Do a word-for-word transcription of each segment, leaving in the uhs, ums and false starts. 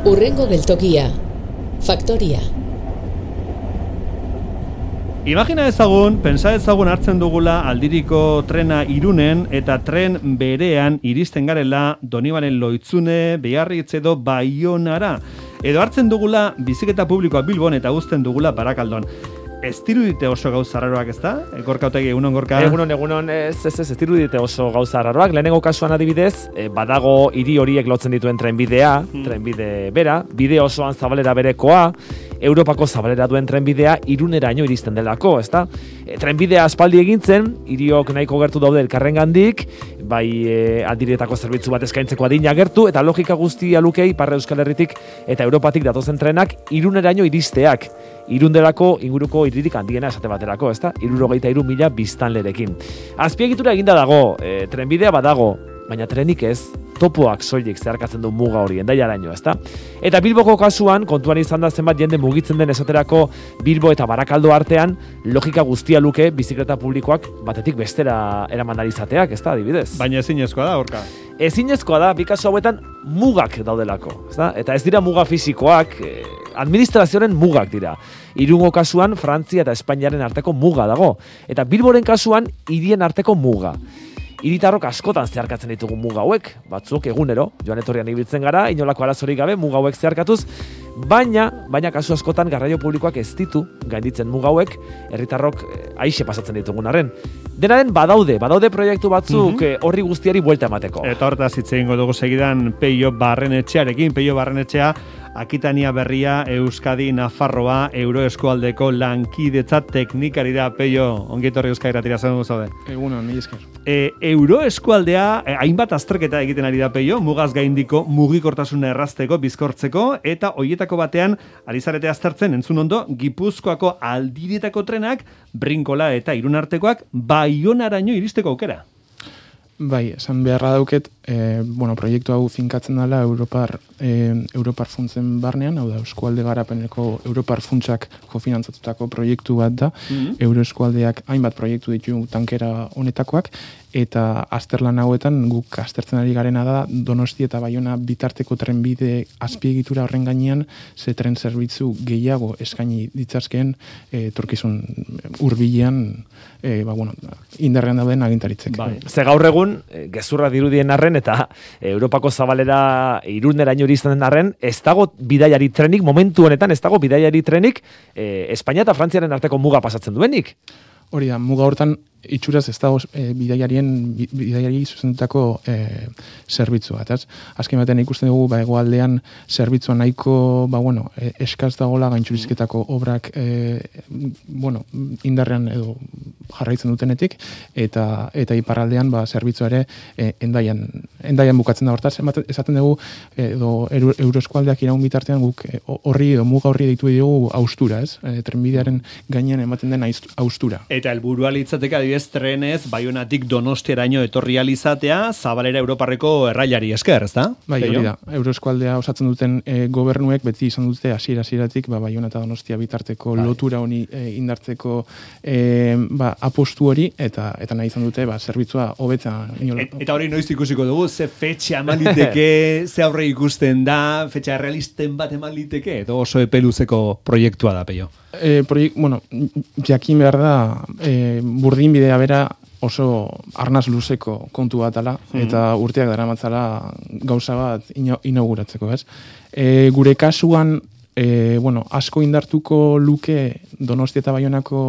Hurrengo geltokia, Faktoria. Imagina ezagun, pensa ezagun hartzen dugula aldiriko trena Irunen eta tren berean iristen garela Donibane Lohitzune, Beharritz edo Baionara. Edo hartzen dugula biziketa publikoa Bilbon eta uzten dugula Barakaldon. Ez dirudite oso gauza raroak, ez da? Gorka Otegi, egunon, Gorka? Egunon, egunon, ez, ez, ez, ez dirudite oso gauza raroak. Lehenengo kasuan adibidez, eh, badago hiri horiek lotzen dituen trenbidea, hmm. trenbide bera, bide osoan zabalera berekoa, Europako zabalera duen trenbidea Iruneraino iristen delako, ez da? E, trenbidea aspaldi egintzen, hiriok nahiko gertu daude elkarrengandik, bai e, aldiretako zerbitzu bat eskaintzeko adina gertu, eta logika guztia lukei Ipar Euskal Herritik eta Europatik datozen trenak Iruneraino iristeak. Irundelako inguruko hiririk handiena esate baterako, ezta? hirurogeita hiru mila biztanlerekin. Azpiegitura eginda dago, e, trenbidea badago, baina trenik ez, topoak soilik zeharkatzen du muga hori, Hendaiaraino, ezta? Eta Bilboko kasuan, kontuan izan da zenbat jende mugitzen den esaterako Bilbo eta Barakaldo artean, logika guztia luke bizikleta publikoak batetik bestera eraman ari izateak, ezta, adibidez? Baina ezinezkoa da, Gorka. Ezinezkoa da, bi kasu hauetan mugak daudelako, ezta? Eta ez dira muga fisikoak, eh, administrazioaren mugak dira. Irungo kasuan Frantzia eta Espainiaren arteko muga dago, eta Bilboren kasuan hirien arteko muga. Hiritarrok askotan zeharkatzen ditugu muga hauek, batzuk egunero, joan etorrian ibiltzen gara, inolako arazorik gabe muga hauek zeharkatuz, baina, baina kasu askotan garraio publikoak ez ditu gainditzen muga hauek, herritarrok aixe pasatzen ditugun arren. Denaren badaude, badaude proiektu batzuk mm-hmm. horri guztiari buelta emateko. Eta hortaz hitz egingo dugu segidan Peio Barrenetxearekin, Peio Barrenetxea, Akitania Berria, Euskadi, Nafarroa, Euroeskualdeko lankidetza teknikari da. Peio, ongi etorri Euskadi Irratira, zen dugu zaude. Egunon, mila esker. E, Euroeskualdea, e, hainbat azterketa egiten ari da, Peio, mugaz gaindiko, mugikortasuna errazteko, bizkortzeko, eta hoietako batean, ari zarete aztertzen, entzun ondo, Gipuzkoako aldiretako trenak, Brinkola eta Irunartekoak, Baionaraino iristeko aukera. Bai, esan beharra dauket, e, bueno, proiektu hau finkatzen dela Europar, e, Europar funtsen barnean, hau da, Eskualde Garapeneko Europar funtsak kofinantzatutako proiektu bat da, mm-hmm. Euroeskualdeak hainbat proiektu ditu tankera honetakoak, eta azterlan hauetan guk aztertzen ari garena da Donosti eta Baiona bitarteko trenbide azpiegitura horren gainean ze tren zerbitzu gehiago eskaini ditzazkeen e, torkizun hurbilean e, ba, bueno, indarrean dauden agintaritzek. Bai. Ze gaur egun, gezurra dirudien arren eta Europako zabalera Iruneraino iristen den arren, ez dago bidaiari trenik, momentu honetan ez dago bidaiari trenik e, Espainia eta Frantziaren arteko muga pasatzen duenik. Hori da, muga hortan itxuraz ez dago e, bidaiarien bidaiari zuzendutako e, zerbitzua. Eta azken batean ikusten dugu ba, egoaldean zerbitzua nahiko ba, bueno, e, eskaz dagoela gaintxurizketako obrak e, bueno, indarrean edo jarraitzen dutenetik, eta eta iparraldean ba, zerbitzua ere e, endaian, endaian bukatzen da hortaz. Esaten dugu edo Euroeskualdeak iraun bitartean guk horri edo muga horri deitu dugu haustura, ez? E, trenbidearen gainean ematen den haustura. Eta helburua litzateke adibidez trenez Baionatik Donostiaraino etorri alizatea zabalera Europarreko errailari esker, ezta? Bai, hori da. Euroeskualdea osatzen duten e, gobernuek beti izan dute hasiera hasieratik ba Baiona eta Donostia bitarteko bai. lotura honi e, indartzeko e, ba, apostu hori eta eta nahi izan dute ba zerbitzua hobetza. Et, eta hori noiz ikusiko dugu, ze fetxa eman liteke, ze aurre ikusten da, fetxa realisten bat eman liteke, edo oso epeluzeko proiektua da, Peio. E, proiek, bueno, jakin behar da, e, burdin bidea bera oso arnaz luzeko kontu bat ala, mm-hmm. eta urteak daramatzala gauza bat ino, inauguratzeko, ez? E, gure kasuan, e, bueno, asko indartuko luke Donostia eta Baionako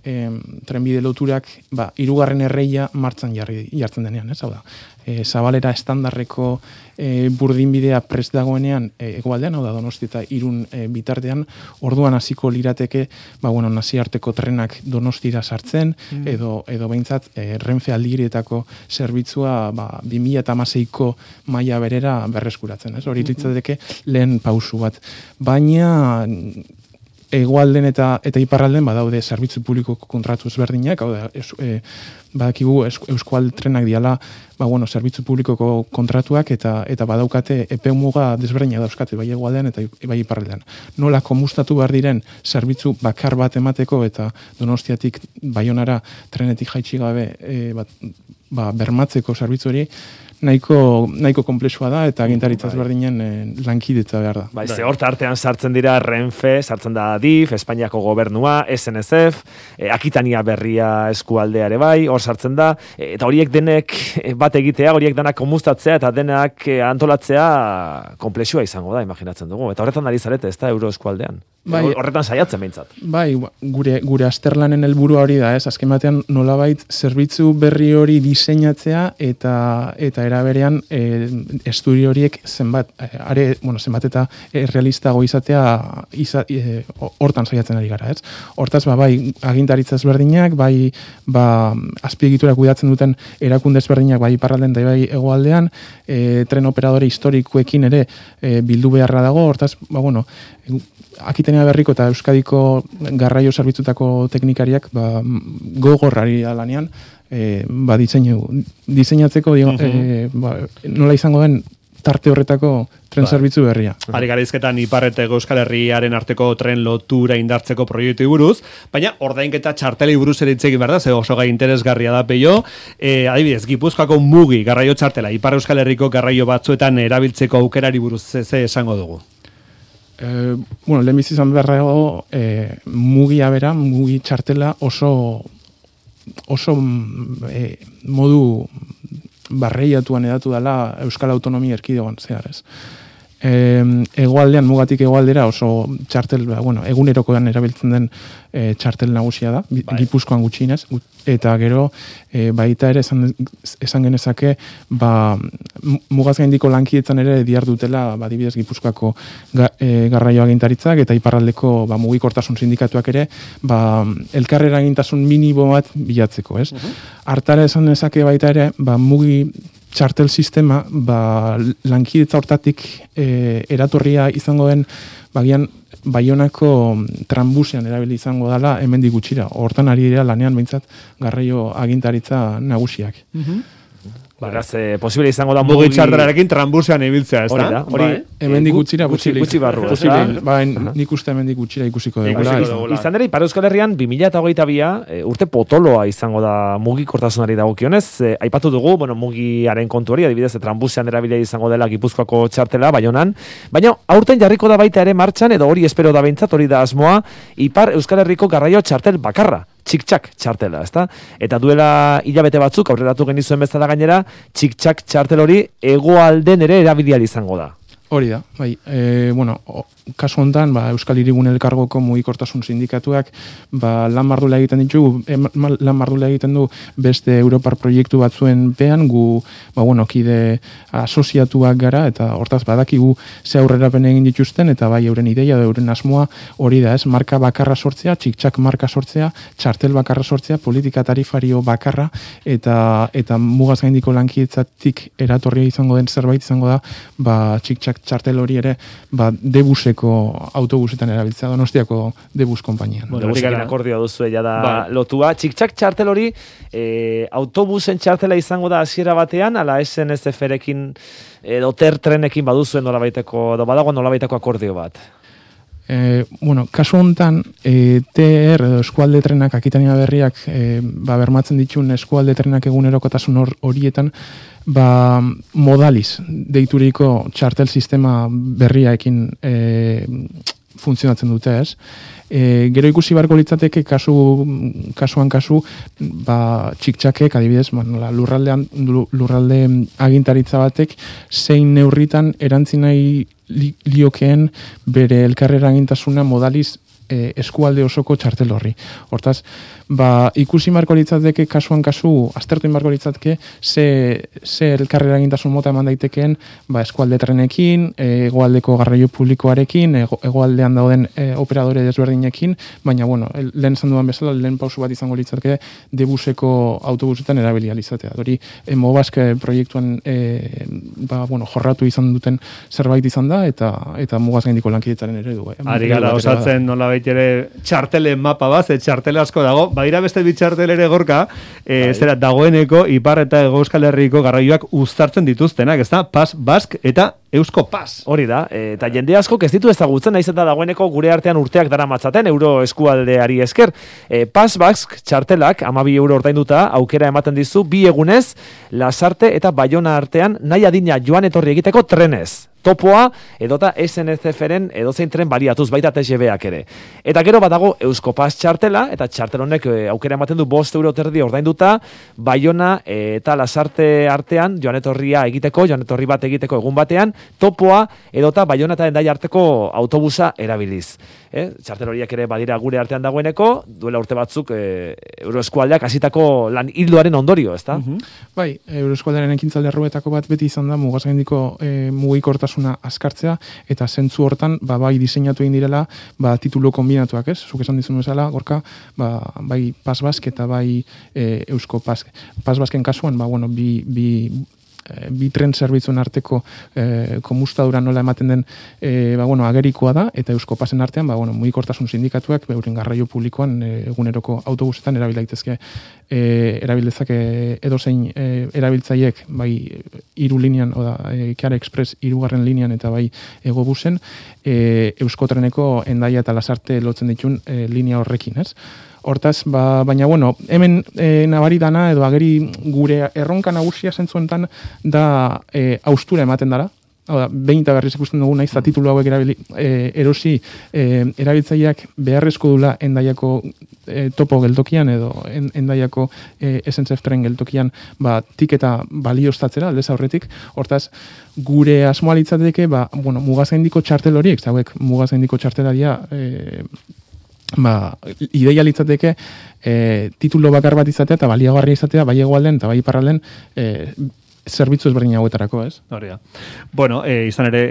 e, trenbide loturak, ba, hirugarren erreia martxan jarri, jartzen denean, ez? Hau da, e, zabalera estandarreko e, burdinbidea prest dagoenean e, egoaldean, hau da Donosti eta Irun e, bitartean, orduan hasiko lirateke, ba, bueno, naziarteko trenak Donostira sartzen, mm. edo, edo behintzat e, Renfe aldigiretako zerbitzua ba, bi mila hamaseiko maila berera berreskuratzen, ez? Hori litzateke lehen pausu bat. Baina hegoalden eta eta iparralden badaude zerbitzu publikoko kontratu ezberdinak, hau da, es, e, badakigu Euskal Trenak diala, ba bueno, zerbitzu publikoko kontratuak eta eta badaukate epemuga desberdinak dauzkate bai hegoaldean eta bai iparraldean. Nola komustatu behar diren zerbitzu bakar bat emateko eta Donostiatik Baionara trenetik jaitsi gabe e, bat, ba, bermatzeko zerbitzu hori nahiko, nahiko komplexua da, eta agintaritza ezberdinen e, lankidetza behar da. Bai, ze hor artean sartzen dira Renfe, sartzen da Adif, Espainiako gobernua, S N S F, e, Akitania berria eskualdea ere bai, hor sartzen da, e, eta horiek denek bat egitea, horiek denak komustatzea, eta denak e, antolatzea komplexua izango da, imaginatzen dugu. Eta horretan ari zarete, ez da, euro eskualdean. Bai, horretan saiatzen behintzat. Bai, gure, gure azterlanen helburua hori da, ez? Azken batean nolabait zerbitzu berri hori diseinatzea eta eta eraberean e, estudio horiek zenbat, are, bueno, zenbat eta e, realistago izatea iza, e, hortan saiatzen ari gara, ez? Hortaz, ba, bai, agintaritza ezberdinak, bai, ba, azpiegitura kudeatzen duten erakunde ezberdinak, bai, iparraldean da bai hegoaldean, e, tren operadore historikoekin ere e, bildu beharra dago, hortaz, ba, bueno, Akitania berriko eta Euskadiko garraio zerbitzutako teknikariak ba, gogorrari da lanean e, ba, diseinu, diseinatzeko dio, uh -huh. e, ba, nola izango den tarte horretako tren zerbitzu berria. Ari garaizketan Ipar eta Euskal Herriaren arteko tren lotura indartzeko proiektu buruz, baina ordainketa txartelei buruz ere hitz egin behar da, ze oso gai interesgarria da peio. E, adibidez, Gipuzkoako mugi garraio txartela, Ipar Euskal Herriko garraio batzuetan erabiltzeko aukerari buruz ze esango dugu. Eh, bueno, lehenbiz izan beharrago eh, mugia bera, mugi txartela oso oso eh, modu barreiatuan edatu dela Euskal Autonomia Erkidegoan zehar, ez. Eh, egoaldean, mugatik egoaldera oso txartel, bueno, egunerokoan erabiltzen den e, txartel nagusia da, bai. Gipuzkoan gutxienez, eta gero e, baita ere esan, esan genezake ba, mugaz gaindiko lankidetzan ere diar dutela ba, dibidez Gipuzkoako ga, e, garraio agintaritzak eta iparraldeko ba, mugikortasun sindikatuak ere ba, elkarrera agintasun minimo bat bilatzeko, ez? Uh-huh. Hartara esan genezake baita ere ba, mugi txartel sistema ba, lankidetza hortatik e, eratorria izango den bagian Baionako tranbusean erabili izango dela hemendik gutxira. Hortan ari dira lanean behintzat garraio agintaritza nagusiak. Uh-huh. Beraz, eh, posible izango da mugi txartelarekin tranbusean ibiltzea, ez da? Hori da, hori hemendik gutxira gutxi, gutxi barru. Posible, ba, nik uste hemendik gutxira ikusiko dugula. Izan ere, Ipar Euskal Herrian bi mila hogeita bia e, urte potoloa izango da mugikortasunari dagokionez. E, aipatu dugu, bueno, mugiaren kontu hori, adibidez, tranbusean erabili izango dela Gipuzkoako txartela, Baionan. Baina, aurten jarriko da baita ere martxan, edo hori espero da behintzat, hori da asmoa, Ipar Euskal Herriko garraio txartel bakarra. Txik-txak txartela, ezta? Eta duela hilabete batzuk, aurreratu genizuen bezala gainera, txik-txak txartel hori hegoalden ere erabilial izango da. Hori da, bai. E, bueno, o, kasu honetan, ba, Euskal Hirigun Elkargoko mugikortasun sindikatuak ba, lan mardula egiten ditu, e, lan mardula egiten du beste Europar proiektu batzuen pean, gu, ba, bueno, kide asoziatuak gara, eta hortaz badakigu ze aurrerapen egin dituzten, eta bai euren ideia, euren asmoa hori da, ez, marka bakarra sortzea, txik-txak marka sortzea, txartel bakarra sortzea, politika tarifario bakarra, eta eta mugaz gaindiko lankidetzatik eratorria izango den zerbait izango da, ba, txik-txak txartel hori ere, ba, debuseko autobusetan erabiltzea, Donostiako debus konpainian. Bueno, debusekin akordioa duzu ja da ba. Lotua. Txik-txak txartel hori, e, autobusen txartela izango da hasiera batean, ala S N S F-rekin edo ter trenekin baduzuen nolabaiteko, edo badago nolabaiteko akordio bat? E, bueno, kasu honetan, e, T R edo eskualde trenak, Akitania berriak, e, ba, bermatzen ditun eskualde trenak egunerokotasun hor, horietan, ba, modaliz deituriko txartel sistema berriaekin e, funtzionatzen dute, ez? E, gero ikusi barko litzateke kasu, kasuan kasu ba, txik-txakek, adibidez, ba, lurraldean, lurralde agintaritza batek zein neurritan erantzi nahi li, liokeen bere elkarrera agintasuna modaliz e, eskualde osoko txartel horri. Hortaz, ba, ikusi marko litzateke kasuan kasu, aztertu marko litzateke ze, ze elkarrera agintasun mota eman daitekeen ba, eskualde trenekin, hegoaldeko garraio publikoarekin, ego, hegoaldean dauden e, operadore desberdinekin, baina, bueno, lehen esan dudan bezala, lehen pausu bat izango litzateke debuseko autobusetan erabilia izatea. Hori, e, Mobaske proiektuan e, ba, bueno, jorratu izan duten zerbait izan da, eta eta mugaz gaindiko lankidetzaren eredu. Eh? Ari gara, osatzen nola ere txartelen mapa bat, ze txartele asko dago, badira beste bitxartel ere gorka, e, zera dagoeneko Ipar eta Hego Euskal Herriko garraioak uztartzen dituztenak, ez da? Pas, Bask eta Eusko Pas. Hori da, eta jende asko ez ditu ezagutzen, naiz eta dagoeneko gure artean urteak daramatzaten euro eskualdeari esker. E, Pas Basque txartelak hamabi euro ordainduta aukera ematen dizu bi egunez Lasarte eta Baiona artean nahi adina joan etorri egiteko trenez. Topoa edota S N C F-ren edozein tren baliatuz baita T G V-ak ere. Eta gero badago Eusko Pas txartela, eta txartel honek e, aukera ematen du bost euro terdi ordainduta, Baiona e, eta Lasarte artean joan etorria egiteko, joan etorri bat egiteko egun batean, topoa edota Baiona eta Hendaia arteko autobusa erabiliz. Eh? Txartel horiek ere badira gure artean dagoeneko, duela urte batzuk e, Euroeskualdeak hasitako lan hildoaren ondorio, ezta? Mhm. Bai, Euroeskualdearen ekintzaldi arruetako bat beti izan da mugazgaindiko e, mugikortasuna askartzea, eta zentzu hortan ba, bai diseinatu egin direla ba, titulu kombinatuak, ez? Zuk esan dizun bezala, gorka, ba, bai Pas Basque eta bai e, Eusko Pas. Pas Basken kasuan, ba, bueno, bi, bi bi tren zerbitzuen arteko e, komustadura nola ematen den e, ba, bueno, agerikoa da, eta Eusko Pasen artean ba, bueno, mugikortasun sindikatuak euren garraio publikoan e, eguneroko autobusetan erabil daitezke e, erabiltzake edozein e, erabiltzaiek bai hiru linean, oda, e, Chiara Express hirugarren linean eta bai Egobusen e, Euskotreneko Hendaia eta Lasarte lotzen ditun e, linea horrekin, ez? Hortaz, ba, baina, bueno, hemen e, nabari dana, edo ageri gure erronka nagusia zentzuentan da e, austura ematen dara. Hau da, behin eta berriz ikusten dugu naiz, titulu hauek erabili, e, erosi e, erabiltzaileak beharrezko dula Hendaiako e, topo geltokian edo en, Hendaiako e, S N C F tren geltokian ba, tiketa balioztatzera, aldez aurretik. Hortaz, gure asmoa litzateke, ba, bueno, mugazgaindiko txartel horiek, zauek mugazgaindiko txartelaria e, ba, ideia litzateke e, titulo bakar bat izatea eta baliagarria izatea bai hegoalden eta bai iparralden e, zerbitzu ezberdin hauetarako, ez? Hori da. Bueno, e, izan ere,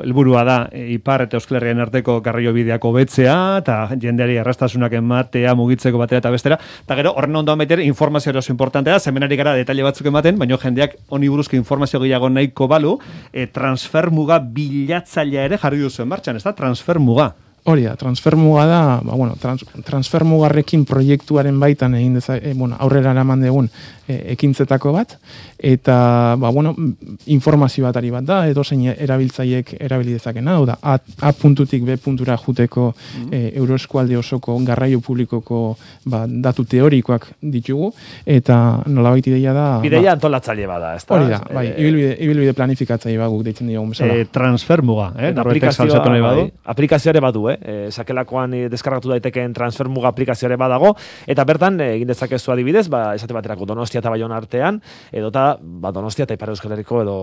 helburua da e, Ipar eta Euskal Herrian arteko garraiobideak hobetzea eta jendeari erraztasunak ematea mugitzeko batera eta bestera. Eta gero, horren ondoan baitere, informazio oso importantea da, zemenari gara detaile batzuk ematen, baina jendeak honi buruzko informazio gehiago nahiko balu, e, transfermuga bilatzailea ere jarri duzuen martxan, ez da? Transfermuga. Hori da, transfermuga da, ba, bueno, trans, transfermugarrekin proiektuaren baitan egin deza, e, bueno, aurrera eraman dugun e, ekintzetako bat, eta, ba, bueno, informazio batari bat da, edo zein erabiltzaiek erabili dezakena, hau da, A, A puntutik B puntura juteko mm. e, Euroeskualde osoko garraio publikoko ba, datu teorikoak ditugu, eta nolabait ideia da... Bideia ba, antolatzaile bada, ez da? Hori da, bai, e, ibilbide, ibilbide planifikatzaile baguk deitzen diogun bezala. E, transfermuga, eh? Aplikazioa, bai, aplikazioare badu, eh? E, sakelakoan e, deskargatu daitekeen transfermuga aplikazioare badago, eta bertan e, egin dezakezu adibidez, ba, esate baterako Donostia eta Baiona artean, edota ba, Donostia eta Ipar Euskal Herriko, edo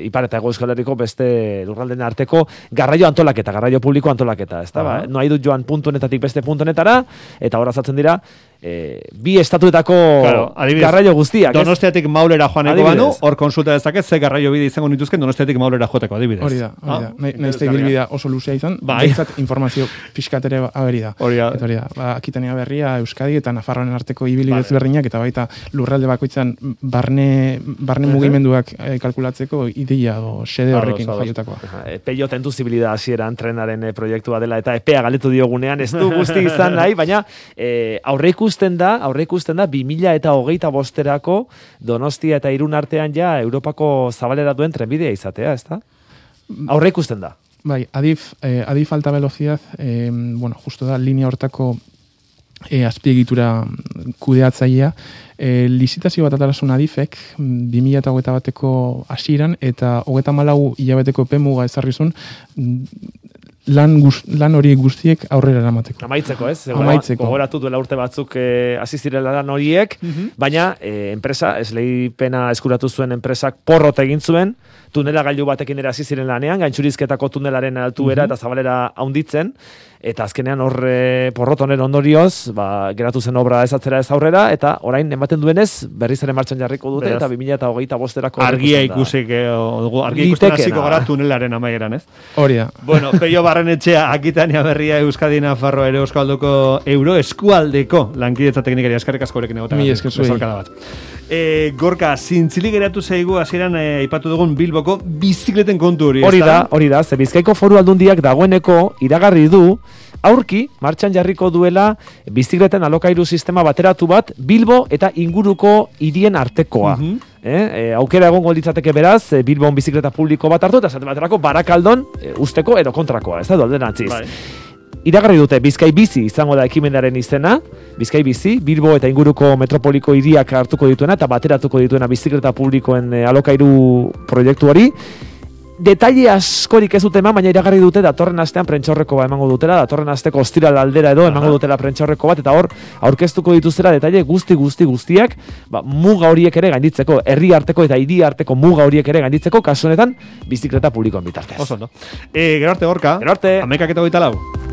Ipar eta Hego Euskal Herriko beste lurraldeen arteko garraio antolaketa, garraio publiko antolaketa, ez da, uh -huh. ba, no nahi dut joan puntu honetatik beste puntu honetara, eta hor azatzen dira, E, bi estatuetako claro, garraio guztiak. Donostiatik Maulera joaneko banu, hor konsulta dezaket ze garraio bide izango nituzken Donostiatik Maulera joteko adibidez. Hori da, hori da. Ah? Nahiz da ibilbidea oso luzea izan, bai. Baitzat informazio pixkatere aberi da. Hori da. Eta hori da, ba, Akitania Berria, Euskadi eta Nafarroan arteko ibilbidez berdinak, eta baita lurralde bakoitzan barne, barne mugimenduak eh, kalkulatzeko ideia o xede horrekin jaiotakoa. E, Peio tentu zibilida hasieran trenaren e, proiektua dela, eta epea galetu diogunean, ez du guzti izan nahi, baina e, aurreikusten da, aurre ikusten da, bi mila eta hogeita bosterako Donostia eta Irun artean ja Europako zabalera duen trenbidea izatea, ez da? Aurre ikusten da. Bai, adif, eh, adif alta velocidad, eh, bueno, justo da, linea hortako eh, azpiegitura kudeatzailea, eh, lizitazio bat atarasun adifek, bi mila eta hogeita bateko hasieran eta hogeita malau hilabeteko pemuga ezarrizun, lan, guz, lan hori guztiek aurrera eramateko. Amaitzeko, ez? Zego, Amaitzeko. Gogoratu duela urte batzuk eh, asizirela lan horiek, uh-huh. baina eh, enpresa, esleipena eskuratu zuen enpresak porrot egin zuen, tunela gailu batekin ere hasi ziren lanean, gaintzurizketako tunelaren altuera uh-huh. eta zabalera haunditzen, eta azkenean horre porrot honen ondorioz, ba, geratu zen obra ezatzera ez aurrera, eta orain ematen duenez, berriz ere martxan jarriko dute, Beraz, eta bi mila eta hogeita bosterako... Argia ikusik, argia ikusten hasiko gara tunelaren amaieran, ez? Hori da. Bueno, Peio Barrenetxea, Akitania Berria, Euskadi, Nafarro, ere Euskaldoko Euro Eskualdeko lankidetza teknikari eskarrik asko horekin egotan. Mi esker zuei. E, Gorka, zintzili geratu zaigu hasieran e, aipatu dugun Bilboko bizikleten kontu hori, hori da, hori da, ze Bizkaiko Foru Aldundiak dagoeneko iragarri du aurki martxan jarriko duela bizikleten alokairu sistema bateratu bat Bilbo eta inguruko hirien artekoa. Uh-huh. eh? E, aukera egongo litzateke beraz, e, Bilbon bizikleta publiko bat hartu, eta esate baterako Barakaldon e, usteko edo kontrakoa, ez da, alderantziz. Bai. Iragarri dute Bizkai Bizi izango da ekimenaren izena, Bizkai Bizi, Bilbo eta inguruko metropoliko hiriak hartuko dituena eta bateratuko dituena bizikleta publikoen e, alokairu proiektu hori. Detaile askorik ez dute eman, baina iragarri dute datorren astean prentsaurreko bat emango dutela, datorren asteko ostiral aldera edo emango dutela prentsaurreko bat, eta hor aurkeztuko dituztera detaile guzti guzti guztiak, ba, muga horiek ere gainditzeko, herri arteko eta hiri arteko muga horiek ere gainditzeko, kasu honetan bizikleta publikoen bitartez. Oso ondo. Eh, gero arte Gorka. Gero arte. Hamaikak eta hogeita lau.